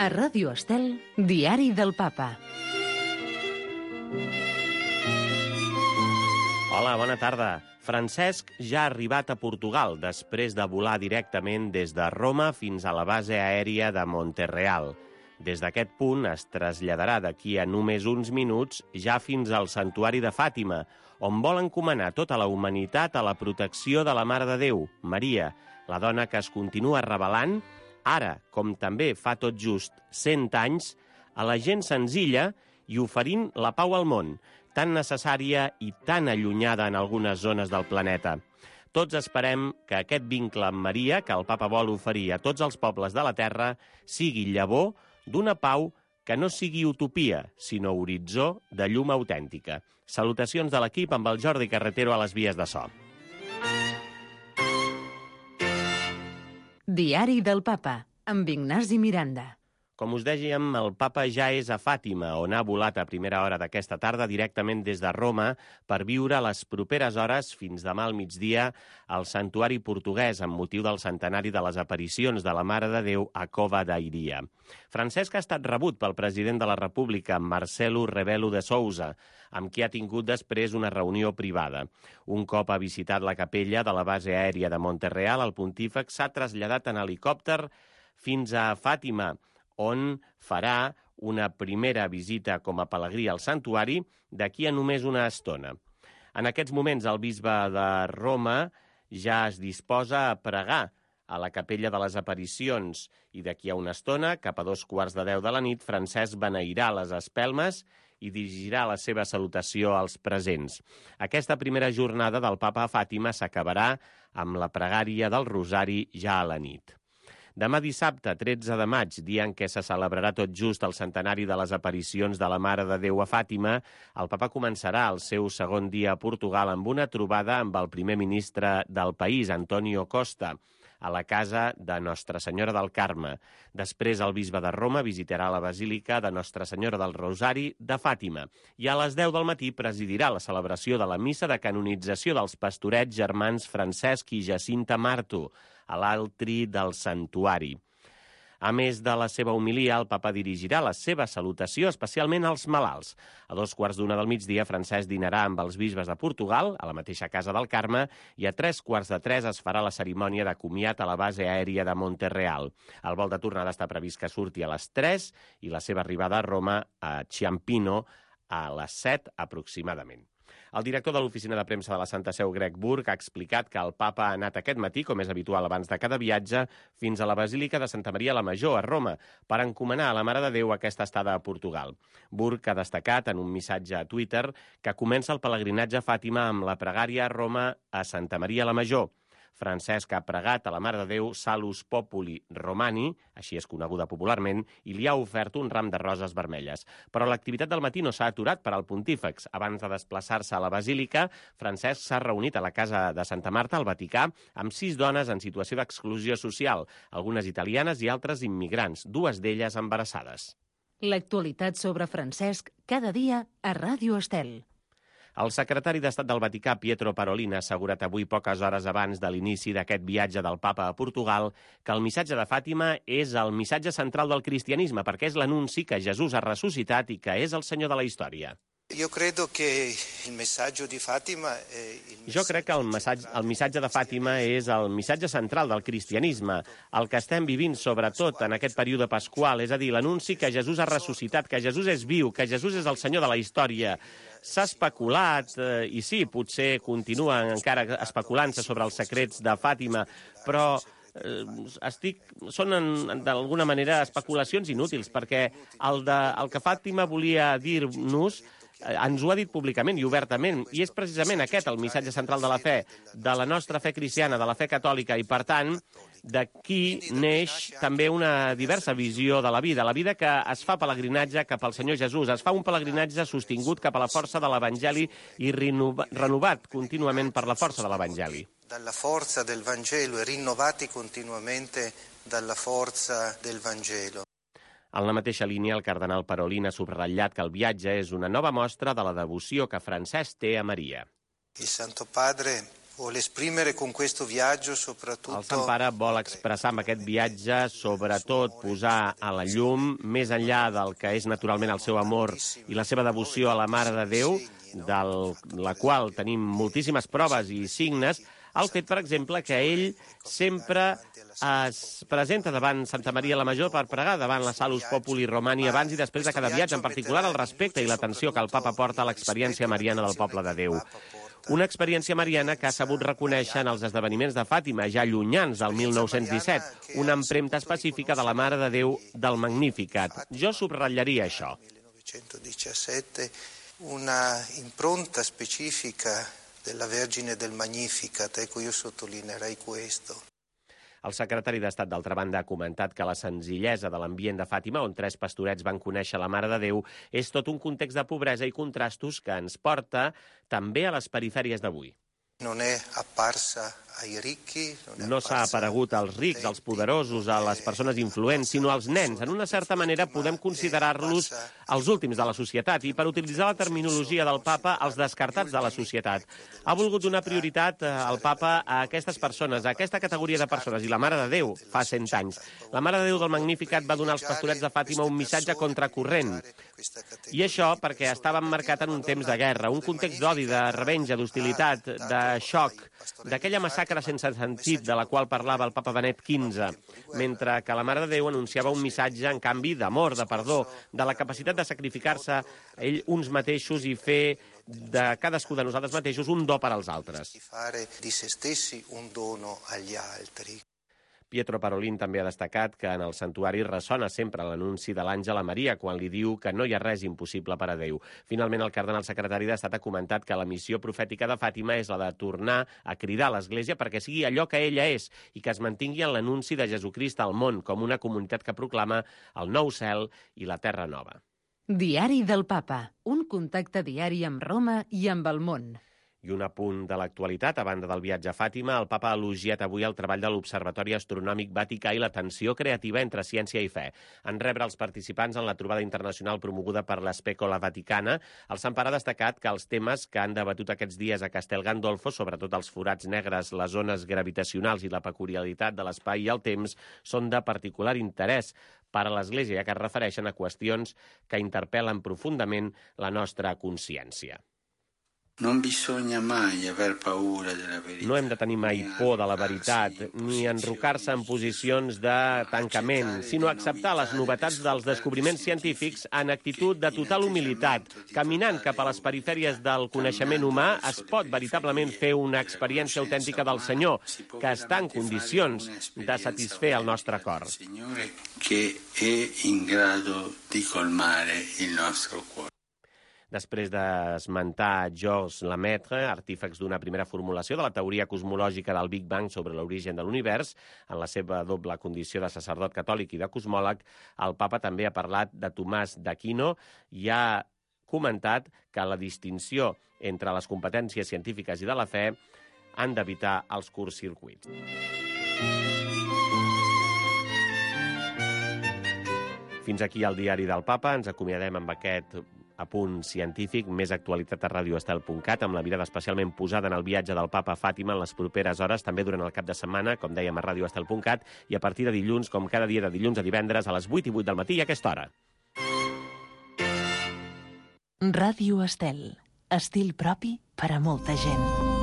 A Ràdio Estel, Diari del Papa. Hola, bona tarda. Francesc ja ha arribat a Portugal després de volar directament des de Roma fins a la base aèria de Monterreal. Des d'aquest punt es traslladarà d'aquí a només uns minuts ja fins al santuari de Fàtima, on vol encomanar tota la humanitat a la protecció de la Mare de Déu, Maria, la dona que es continua revelant, ara, com també fa tot just 100 anys, a la gent senzilla i oferint la pau al món, tan necessària i tan allunyada en algunes zones del planeta. Tots esperem que aquest vincle amb Maria, que el Papa vol oferir a tots els pobles de la Terra, sigui llavor d'una pau que no sigui utopia, sinó horitzó de llum autèntica. Salutacions de l'equip amb el Jordi Carretero a les vies de so. Diari del Papa, amb Ignasi Miranda. Com us dèiem, el Papa ja és a Fàtima, on ha volat a primera hora d'aquesta tarda directament des de Roma per viure les properes hores fins demà al migdia al santuari portuguès amb motiu del centenari de les aparicions de la Mare de Déu a Cova da Iria. Francesc ha estat rebut pel president de la República, Marcelo Rebelo de Sousa, amb qui ha tingut després una reunió privada. Un cop ha visitat la capella de la base aèria de Monterreal, el pontífex s'ha traslladat en helicòpter fins a Fàtima, on farà una primera visita com a pelegrí al santuari d'aquí a només una estona. En aquests moments, el bisbe de Roma ja es disposa a pregar a la capella de les aparicions i d'aquí a una estona, cap a 2:15 de la nit, Francesc beneirà les espelmes i dirigirà la seva salutació als presents. Aquesta primera jornada del Papa a Fàtima s'acabarà amb la pregària del Rosari ja a la nit. Demà dissabte, 13 de maig, dia en què se celebrarà tot just el centenari de les aparicions de la Mare de Déu a Fàtima, el Papa començarà el seu segon dia a Portugal amb una trobada amb el primer ministre del país, Antonio Costa, a la casa de Nostra Senyora del Carme. Després, el bisbe de Roma visitarà la Basílica de Nostra Senyora del Rosari de Fàtima i a les 10 del matí presidirà la celebració de la missa de canonització dels pastorets germans Francesc i Jacinta Marto, a l'altri del santuari. A més de la seva homilia, el Papa dirigirà la seva salutació especialment als malalts. A 2:15 del migdia, Francesc dinarà amb els bisbes de Portugal, a la mateixa casa del Carme, i a 2:45 es farà la cerimònia de comiat a la base aèria de Monterreal. El vol de tornada està previst que surti a les 3 i la seva arribada a Roma, a Ciampino, a les 7 aproximadament. El director de l'oficina de premsa de la Santa Seu, Greg Burke, ha explicat que el Papa ha anat aquest matí, com és habitual abans de cada viatge, fins a la Basílica de Santa Maria la Major, a Roma, per encomanar a la Mare de Déu aquesta estada a Portugal. Burke ha destacat en un missatge a Twitter que comença el pelegrinatge a Fàtima amb la pregària a Roma a Santa Maria la Major. Francesc ha pregat a la Mare de Déu Salus Populi Romani, així és coneguda popularment, i li ha ofert un ram de roses vermelles. Però l'activitat del matí no s'ha aturat per al pontífex. Abans de desplaçar-se a la Basílica, Francesc s'ha reunit a la casa de Santa Marta, al Vaticà, amb 6 dones en situació d'exclusió social, algunes italianes i altres immigrants, 2 d'elles embarassades. L'actualitat sobre Francesc, cada dia a Ràdio Estel. El secretari d'Estat del Vaticà, Pietro Parolin, ha assegurat avui poques hores abans de l'inici d'aquest viatge del Papa a Portugal que el missatge de Fàtima és el missatge central del cristianisme perquè és l'anunci que Jesús ha ressuscitat i que és el Senyor de la història. Jo crec que el missatge de Fàtima és el missatge central del cristianisme, el que estem vivint sobretot en aquest període pasqual, és a dir, l'anunci que Jesús ha ressuscitat, que Jesús és viu, que Jesús és el Senyor de la història. S'ha especulat, i sí, potser continuen encara especulant-se sobre els secrets de Fàtima, però són d'alguna manera especulacions inútils, perquè el que Fàtima volia dir-nos ens ho ha dit públicament i obertament, i és precisament aquest el missatge central de la fe, de la nostra fe cristiana, de la fe catòlica, i per tant, d'aquí neix també una diversa visió de la vida que es fa pelegrinatge cap al Senyor Jesús, es fa un pelegrinatge sostingut cap a la força de l'Evangeli i renovat contínuament per la força de l'Evangeli. Dalla forza del Vangelo e rinnovati continuamente dalla forza del Vangelo. En la mateixa línia, el cardenal Parolin ha subratllat que el viatge és una nova mostra de la devoció que Francesc té a Maria. Il Santo Padre Vuole esprimere con questo viaggio soprattutto... El Sant Pare vol expressar amb aquest viatge, sobretot posar a la llum, més enllà del que és naturalment el seu amor i la seva devoció a la Mare de Déu, de la qual tenim moltíssimes proves i signes, el fet, per exemple, que ell sempre es presenta davant Santa Maria la Major per pregar davant la Salus Populi Romani abans i després de cada viatge, en particular el respecte i l'atenció que el papa porta a l'experiència mariana del poble de Déu. Una experiència mariana que ha sabut reconèixer en els esdeveniments de Fàtima, ja llunyans del 1917, una empremta específica de la Mare de Déu del Magnificat. Jo subratllaria això. 1917, una impronta specifica della Vergine del Magnificat, ecco, io sottolineerei questo. El secretari d'Estat, d'altra banda, ha comentat que la senzillesa de l'ambient de Fàtima, on 3 pastorets van conèixer la Mare de Déu, és tot un context de pobresa i contrastos que ens porta també a les perifèries d'avui. Non è apparsa ai ricchi, no s'ha aparegut als rics, als poderosos, a les persones influents, sinó als nens. En una certa manera podem considerar-los els últims de la societat i, per utilitzar la terminologia del papa, els descartats de la societat. Ha volgut donar prioritat al papa a aquestes persones, a aquesta categoria de persones, i la Mare de Déu fa 100 anys. La Mare de Déu del Magnificat va donar als pastorets de Fàtima un missatge contracorrent. I això perquè estava emmarcat en un temps de guerra, un context d'odi, de revenja, d'hostilitat, de xoc, d'aquella massacre sense sentit de la qual parlava el papa Benet XV, mentre que la Mare de Déu anunciava un missatge, en canvi, d'amor, de perdó, de la capacitat de sacrificar-se ell uns mateixos i fer de cadascú de nosaltres mateixos un do per als altres. Di se stessi un dono agli altri. Pietro Parolin també ha destacat que en el santuari ressona sempre l'anunci de l'àngel a Maria quan li diu que no hi ha res impossible per a Déu. Finalment, el cardenal secretari d'Estat ha comentat que la missió profètica de Fàtima és la de tornar a cridar a l'Església perquè sigui allò que ella és i que es mantingui en l'anunci de Jesucrist al món com una comunitat que proclama el nou cel i la terra nova. Diari del Papa, un contacte diari amb Roma i amb el món. I un apunt de l'actualitat, a banda del viatge a Fàtima, el papa ha elogiat avui el treball de l'Observatori Astronòmic Vaticà i la tensió creativa entre ciència i fe. En rebre els participants en la trobada internacional promoguda per l'Especola Vaticana, el Sant Pare ha destacat que els temes que han debatut aquests dies a Castel Gandolfo, sobretot els forats negres, les zones gravitacionals i la peculiaritat de l'espai i el temps, són de particular interès per a l'Església, ja que es refereixen a qüestions que interpel·len profundament la nostra consciència. No bisogna mai aver paura della verità. No hem de tenir mai por de la veritat, ni enrocar-se en posicions de tancament, sinó acceptar les novetats dels descobriments científics en actitud de total humilitat. Caminant cap a les perifèries del coneixement humà es pot veritablement fer una experiència autèntica del Senyor, que està en condicions de satisfer el nostre cor. Signore che è in grado di colmare il nostro cuore. Després d'esmentar Georges Lemaitre, artífex d'una primera formulació de la teoria cosmològica del Big Bang sobre l'origen de l'univers, en la seva doble condició de sacerdot catòlic i de cosmòleg, el papa també ha parlat de Tomàs d'Aquino i ha comentat que la distinció entre les competències científiques i de la fe han d'evitar els curtcircuits. Fins aquí el diari del papa. Ens acomiadem amb aquest apunt científic, més actualitat a radioestel.cat, amb la mirada especialment posada en el viatge del papa a Fàtima en les properes hores, també durant el cap de setmana, com dèiem, a radioestel.cat, i a partir de dilluns, com cada dia de dilluns a divendres, a les 8 i 8 del matí a aquesta hora. Ràdio Estel. Estil propi per a molta gent.